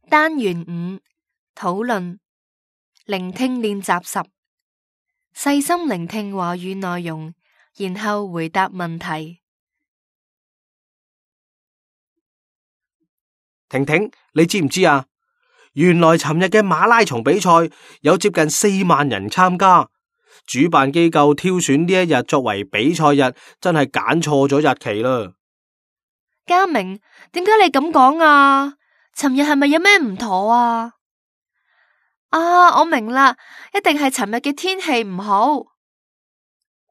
單元5討論聆聽練習10，細心聆聽話語內容，然後回答問題。婷婷，你知唔知啊？原來尋日嘅馬拉松比賽有接近4萬人參加，主辦機構挑選呢一日作為比賽日，真係揀錯咗日期啦。嘉明，點解你咁講啊？尋日係咪有咩唔妥啊？我明啦，一定係尋日嘅天氣唔好。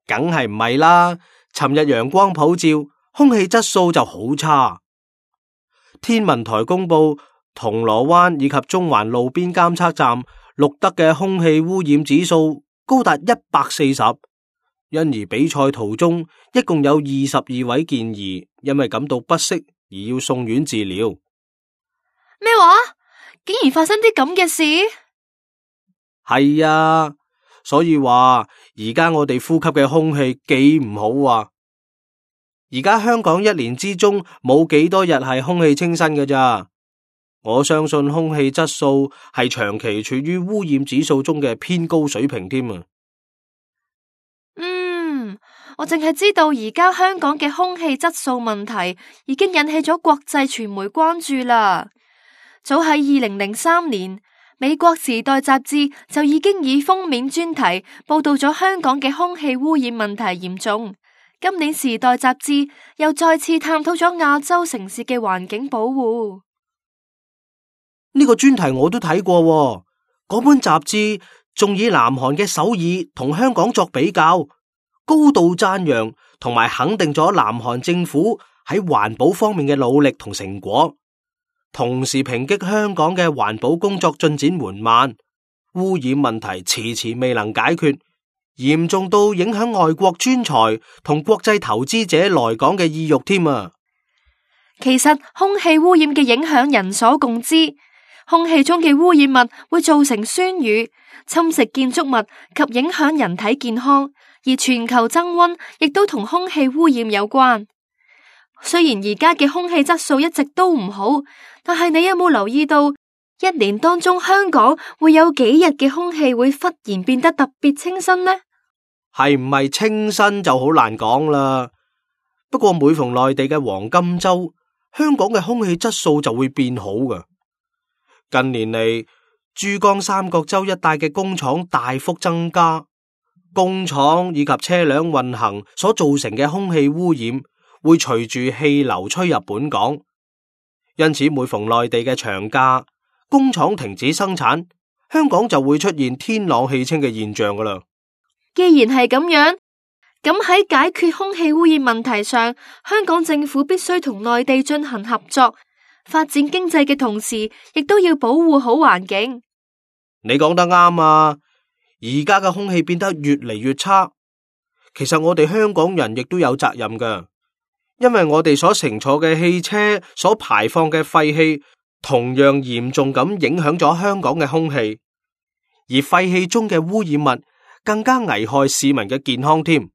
梗係唔係啦，尋日陽光普照，空氣質素就好差。天文台公布，銅鑼灣以及中環路邊監測站錄得嘅空氣污染指數高達140，因而比賽途中一共有22位健兒因為感到不適而要送院治療。咩話？竟然發生啲咁嘅事？係啊，所以話而家我哋呼吸嘅空氣幾唔好啊！而家香港一年之中冇幾多日係空氣清新嘅咋，我相信空氣質素係長期處於污染指數中嘅偏高水平添啊！我淨係知道而家香港嘅空氣質素問題已經引起咗國際傳媒關注啦。早喺2003年，美國時代雜誌就已經以封面專題報道咗香港嘅空氣污染問題嚴重。今年時代雜誌又再次探討咗亞洲城市嘅環境保護。呢個專題我都睇過喎，嗰本雜誌仲以南韓嘅首爾同香港作比較，高度讚揚同埋肯定咗南韓政府喺環保方面嘅努力同成果，同時抨擊香港嘅環保工作進展緩慢，污染問題遲遲未能解決，嚴重到影響外國專才同國際投資者來港嘅意欲添啊！其實空氣污染嘅影響人所共知，空氣中嘅污染物會造成酸雨，侵蝕建築物及影響人體健康，而全球增溫亦都同空氣污染有關。雖然而家嘅空氣質素一直都唔好，但係你有冇留意到，一年當中香港會有幾日嘅空氣會忽然變得特別清新呢？係唔係清新就好難講啦。不過每逢內地嘅黃金周，香港嘅空氣質素就會變好㗎。近年嚟，珠江三角洲一帶嘅工廠大幅增加，工廠以及車輛運行所造成嘅空氣污染會隨住氣流吹入本港，因此每逢內地嘅長假，工廠停止生產，香港就會出現天朗氣清嘅現象㗎喇。既然係咁樣，咁喺解決空氣污染問題上，香港政府必須同內地進行合作，發展經濟嘅同時，亦都要保護好環境。你講得啱啊！而家嘅空氣變得越嚟越差，其實我哋香港人亦都有責任㗎，因為我哋所乘坐嘅汽車所排放嘅廢氣，同樣嚴重咁影響咗香港嘅空氣，而廢氣中嘅污染物更加危害市民嘅健康添。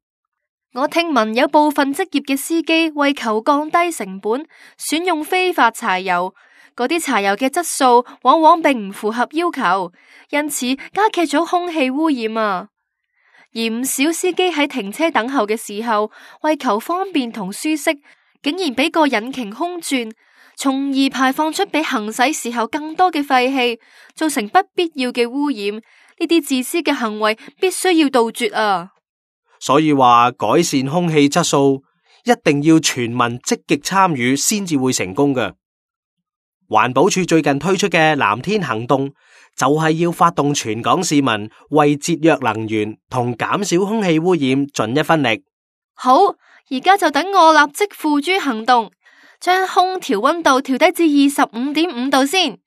我聽聞有部分職業嘅司機為求降低成本，選用非法柴油，嗰啲柴油嘅質素往往並唔符合要求，因此加劇咗空氣污染啊。而唔少司機喺停車等候嘅時候，為求方便同舒適，竟然俾個引擎空轉，從而排放出比行駛時候更多嘅廢氣，造成不必要嘅污染。呢啲自私嘅行為必須要杜絕啊！所以話改善空氣質素一定要全民積極參與先至會成功嘅。環保署最近推出嘅藍天行動就係要發動全港市民為節約能源同減少空氣污染盡一分力。好，而家就等我立即付諸行動，將空調溫度調低至25.5度先。